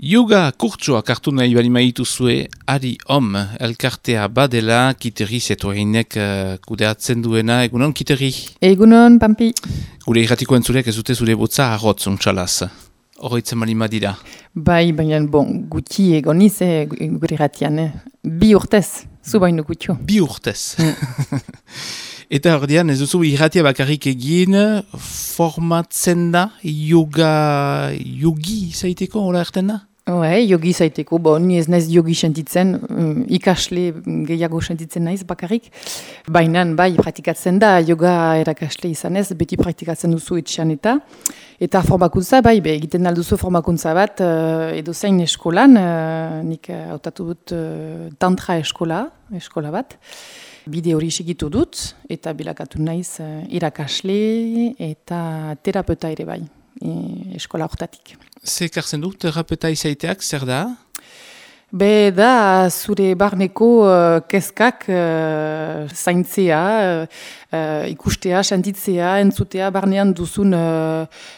Yoga kurtsoak hartu nahi bali maituzue, Ari Om, elkartea badela, Kiteri Zetoainek kudeatzen duena, egunon Kiteri? Egunon, Pampi. Gure irratiko entzuleak ez dute zure botza arrotz untxalaz. Horroitzen bali madira. Bai, baina guti egoniz gure irratian. 2 urtez, zu baino gutio. 2 urtez. Eta ordean ez duzu irratia bakarrik egin, formatzen da, yogi zaiteko, hola erten da? Yogi zaiteko, ni ez naiz yogi sentitzen, ikasle gehiago sentitzen naiz bakarrik. Baina bai, praktikatzen da, yoga erakasle izanez, beti praktikatzen duzu etxean eta formakuntza, bai, egiten alduzu formakuntza bat, edo zein eskolan, nik hautatu dut tantra eskola bat. Bide hori segitu dut, eta bilakatu naiz irakasle eta terapeuta ere bai, eskola hortatik. Zer kartzen du, terapeuta izaiteak, zer da? Da zure barneko kezkak zaintzea, ikustea, sentitzea, entzutea, barnean duzun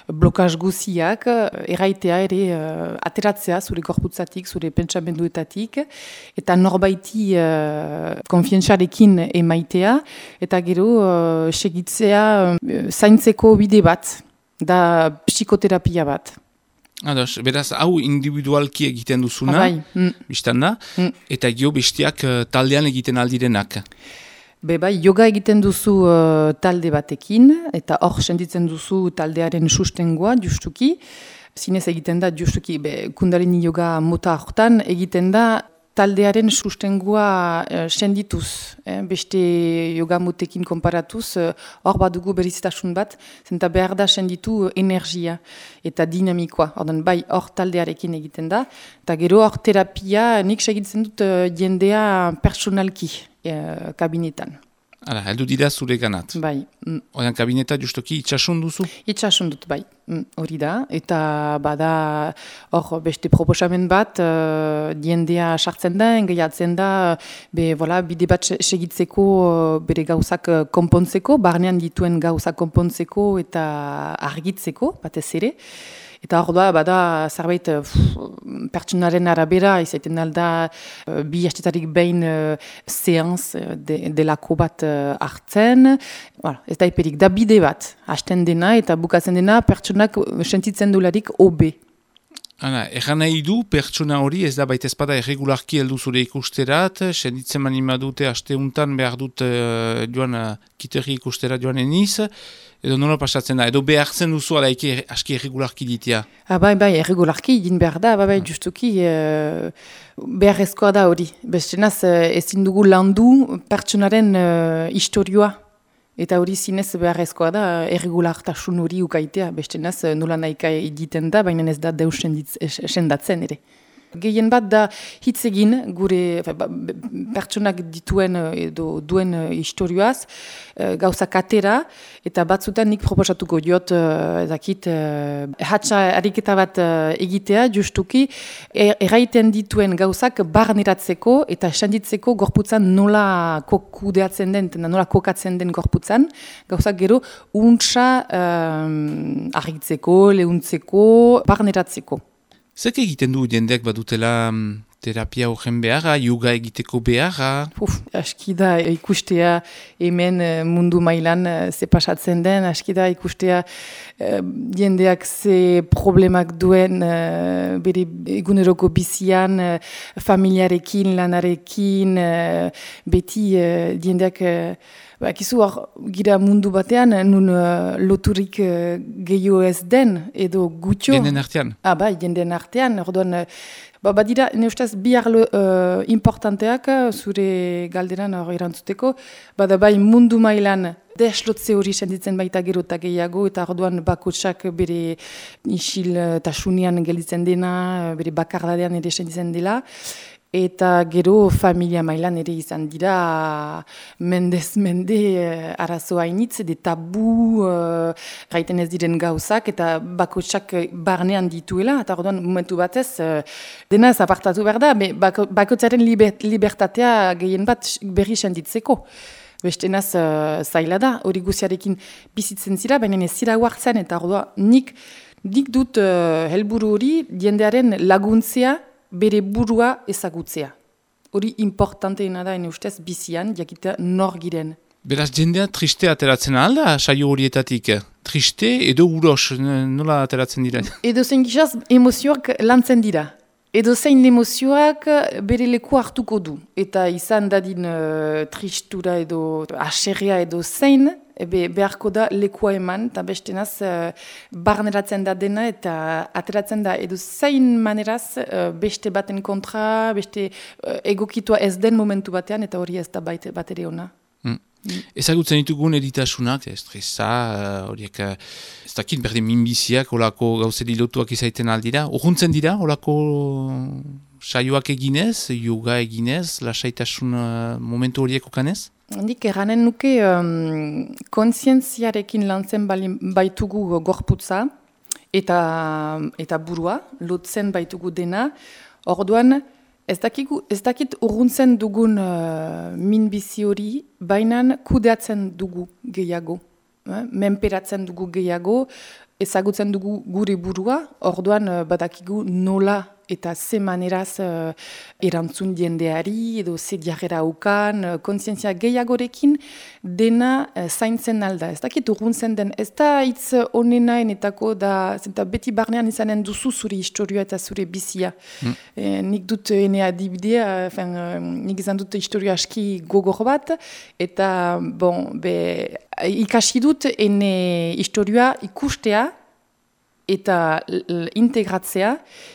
blokaz guziak, erraitea ere ateratzea zure gorputzatik, zure pentsamenduetatik, eta norbaiti konfientzarekin emaitea, eta gero segitzea zaintzeko bide bat, da psikoterapia bat. Ados, beraz, hau individualki egiten duzuna, biztan da, eta gio bestiak taldean egiten aldirenak. Bai, yoga egiten duzu talde batekin, eta hor sentitzen duzu taldearen sustengoa, justuki. Zinez egiten da, justuki, Kundalini yoga mota hortan, egiten da taldearen sustengoa sendituz. Beste yoga motekin konparatuz, hor badugu beriztasun bat, zenta behar da senditu energia eta dinamikoa. Bai, hor taldearekin egiten da, eta gero hor terapia nik segitzen dut jendea personalki kabinetan. Hala, heldu dira zure ganat. Bai. Oian kabineta justoki itxasun duzu? Itxasun dut, bai. Hori da. Eta bada hor beste proposamen bat, jendea sartzen da, engaiatzen da, bide bat segitzeko bere gauzak konpontzeko, barnean dituen gauzak konpontzeko eta argitzeko, batez ere. Eta hor da, bada zerbait pertsonaren arabera, izaiten alda 2 astetarik behin seanz delako bat hartzen. Ez da eperik, da bide bat, hasten dena eta bukatzen dena pertsonak sentitzen dularik hobe. Erran nahi du, pertsona hori ez da baita ezpada erregularki heldu zure ikusterat, senditzen manima dute asteuntan behar dut Kiteri ikustera joan eniz, edo nola pasatzen da, edo behartzen duzu alaike aski erregularki ditia? Bai, erregularki din behar da, justuki beharrezkoa da hori. Bestenaz ezin dugu landu pertsonaren historioa. Eta hori zinez beharrezkoa da, erregulartasun hori ukaitea, bestenaz nola nahika egiten da, baina ez da deus sendatzen ere. Gehien bat da hitz egin gure pertsonak dituen edo duen historioaz, gauzak atera, eta batzutan nik proposatuko diot, hatsa ariketa bat egitea, justuki, erraiten dituen gauzak barneratzeko eta senditzeko gorputzan nola kudeatzen den, nola kokatzen den gorputzan, gauzak gero untsa argitzeko, lehuntzeko, barneratzeko. Zek egiten du jendeak badutela terapia horren beharra, yoga egiteko beharra? Aski da ikustea hemen mundu mailan ze pasatzen den, aski da ikustea jendeak ze problemak duen bere eguneroko bizian, familiarekin, lanarekin, beti jendeak... Akizu hor gira mundu batean, nun loturik gehiago ez den, edo gutxo. Jenden artean? Bai, jenden artean. Orduan, badira, ne ustez, bi arlo importanteak, zure galderan hor erantzuteko, bada bai mundu mailan deslotze hori senditzen baita gero eta gehiago, eta orduan bakotsak bere isil tasunian gelditzen dena, bere bakardadean ere senditzen dela, eta gero familia mailan ere izan dira mendez mende arazo hainitz, de tabu gaiten ez diren gauzak, eta bakotsak barnean dituela, eta orduan momentu batez dena ez apartatu behar da, bakotzaren libertatea gehien bat berri senditzeko. Bestenaz zaila da, hori guziarekin bizitzen zira, baina ez zira huartzen, eta orduan nik Nik dut helburu hori jendearen laguntzea bere burua ezagutzea. Hori importanteena da, ene ustez, bizian, jakitea nor giren. Beraz, jendea triste ateratzen alda, saio horietatik? Triste edo uros, nola ateratzen dira? Edo zein gizaz, emozioak lantzen dira. Edo zein emozioak bere leku hartuko du. Eta izan dadin tristura edo aserria edo zein, beharko da lekua eman, eta bestenaz barneratzen da dena eta ateratzen da edo zein maneraz beste baten kontra, beste egokitua ez den momentu batean, eta hori ez da bat ere ona. Ezagutzen ditugun eritasunak, estresa, horiek, ez dakit berdin minbiziak, olako gauzeri lotuak izaiten aldira. Urruntzen dira, olako saioak eginez, yoga eginez, lasaitasun momentu horiek okanez? Nik erranen nuke kontzientziarekin lantzen baitugu gorputza eta burua, lotzen baitugu dena, orduan, ez dakit urruntzen dugun minbizi hori, baina kudeatzen dugu gehiago. Menperatzen dugu gehiago, ezagutzen dugu gure burua, orduan badakigu nola eta ze maneraz erantzun jendeari, edo ze diarrera ukan, kontzientzia gehiagorekin dena zaintzen alda. Ez dakit urruntzen den, ez da hitz onenaenetako da, zenta beti barnean izanen duzu zure historia eta zure bizia. Nik dut ene adibidea, nik izan dut historia aski gogor bat, eta ikasi dut ene historia ikustea, eta integratzea,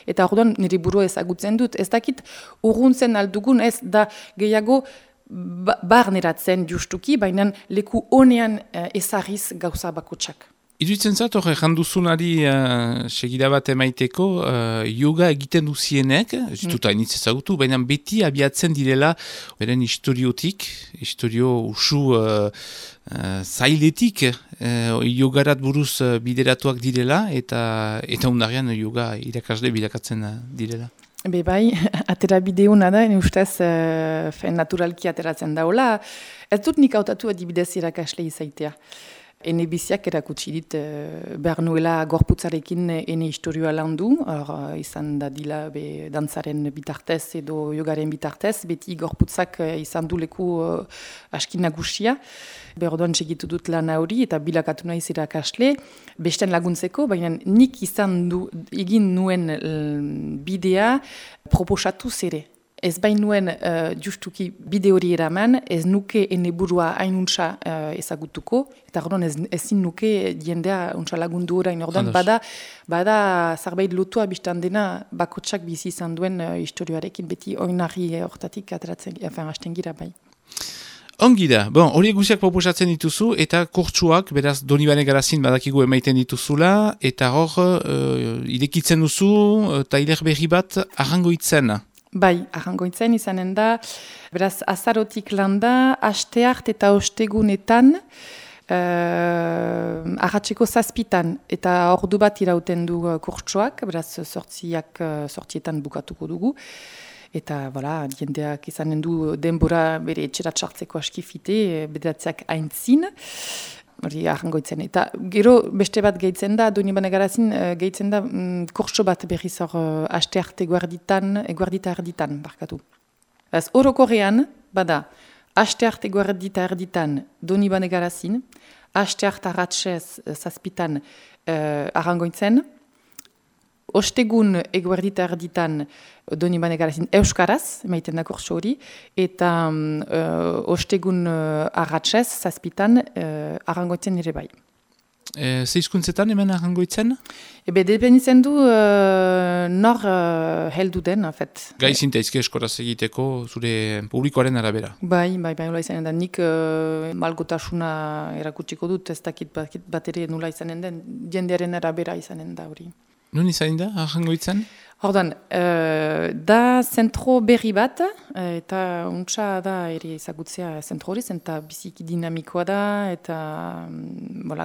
eta orduan nire burua ezagutzen dut. Ez dakit urruntzen aldugun, ez da gehiago barneratzen justuki, baina leku honean ezagiz gauza bakotsak. Iruditzen zat, hor, janduzunari segida bat emaiteko, yoga egiten duzienek, ez dut hainitz ezagutu, baina beti abiatzen direla, beren historiotik, historio usu zailetik, yogarat buruz bideratuak direla, eta undarrean yoga irakasle bilakatzen direla. Bai, atera bide hona da, ustez naturalki ateratzen daula. Ez dut nik hautatu adibidez irakasle izaitea. Ene biziak erakutsi dit behar nuela gorputzarekin ene historioa landu, izan da dila dantzaren bitartez edo yogaren bitartez, beti gorputzak izan du leku aski nagusia. Berdoan segitu dut lan hori eta bilakatu naiz irakasle, besten laguntzeko, baina nik egin nuen bidea proposatu zere. Ez bain nuen justuki bide hori eraman, ez nuke ene burua hainuntza ezagutuko, eta orduan ezin nuke jendea untsa lagundu orain, orduan bada zarbait lotua biztan dena bakotsak bizi izan duen historioarekin beti oinarri hortatik ateratzen, hasten gira bai. Ongi da, horiek guziak proposatzen dituzu, eta kurtsuak, beraz, Donibane Garazin badakigu emaiten dituzula, eta hor, irekitzen duzu, tailer berri bat arrangoitzen. Bai, arrangoitzen izanen da, beraz, azarotik landa, asteart eta ostegunetan, arratseko 7 eta ordu bat irauten du kurtsuak, beraz, 8etan bukatuko dugu. Eta, jendeak izanen du denbora bere etxerat sartzeko askifite, bedatzeak aintzin, hori arrangoitzen. Eta gero beste bat gehitzen da, Donibane Garazin gehitzen da kurtso bat berriz hor astearte eguerdita erditan, barkatu. Orokorrean, bada, astearte eguerdita erditan Donibane Garazin, astearte arratsez 7 arrangoitzen, ostegun eguerdita erditan Donibane Garazin euskaraz, emaiten da kurtso hori, eta ostegun arratsez 7 arrangoitzen ere bai. Zeizkuntzetan hemen arrangoitzen? Dependitzen du nor heldu den, afet. Gai zintaizke eskoraz egiteko zure publikoaren arabera? Bai, nola izanen da. Nik malgotasuna erakutsiko dut, ez dakit bat ere nola izanen den, jendearen arabera izanen da hori. Nun izanen da, arrangoitzen? Ordan, da zentro berri bat, eta untsa da ere ezagutzea zentro hori, eta biziki dinamikoa da, eta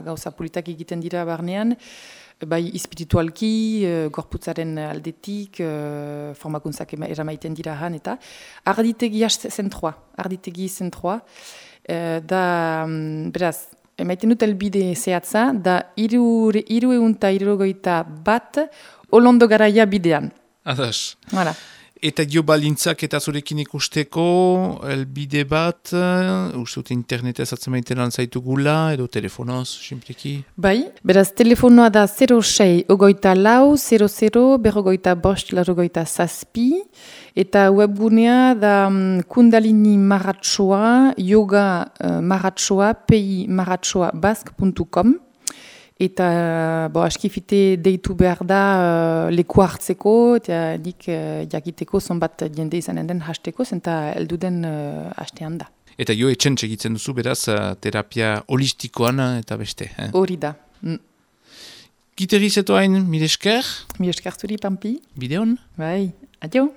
gauza politak egiten dira barnean, bai espiritualki, gorputzaren aldetik, formakuntzak eramaiten dira han, eta arditegi zentroa, da, beraz, emaiten dut elbide zehatza, da 361 Olondo Garaia bidean. Adas. Voilà. Eta dio balintzak eta zurekin ikusteko, elbide bat, uste dut internetez atzemaiten zaitugula, edo telefonoz, simpleki? Bai, beraz telefonoa da 06 24 00 45 zazpi, eta webgunea da Kundalini Maratsoa, yoga maratsoa, pi-maratsoa-bask.com. Eta askifite deitu behar da leku hartzeko, eta nik jakiteko zonbat jende izanen den hasteko, zenta elduden hastean da. Eta jo etxen segitzen duzu, beraz, terapia holistikoan eta beste. Hori da. Giteriz etoain, mire esker? Mire esker zuri, Pampi. Bideon? Bai, adio.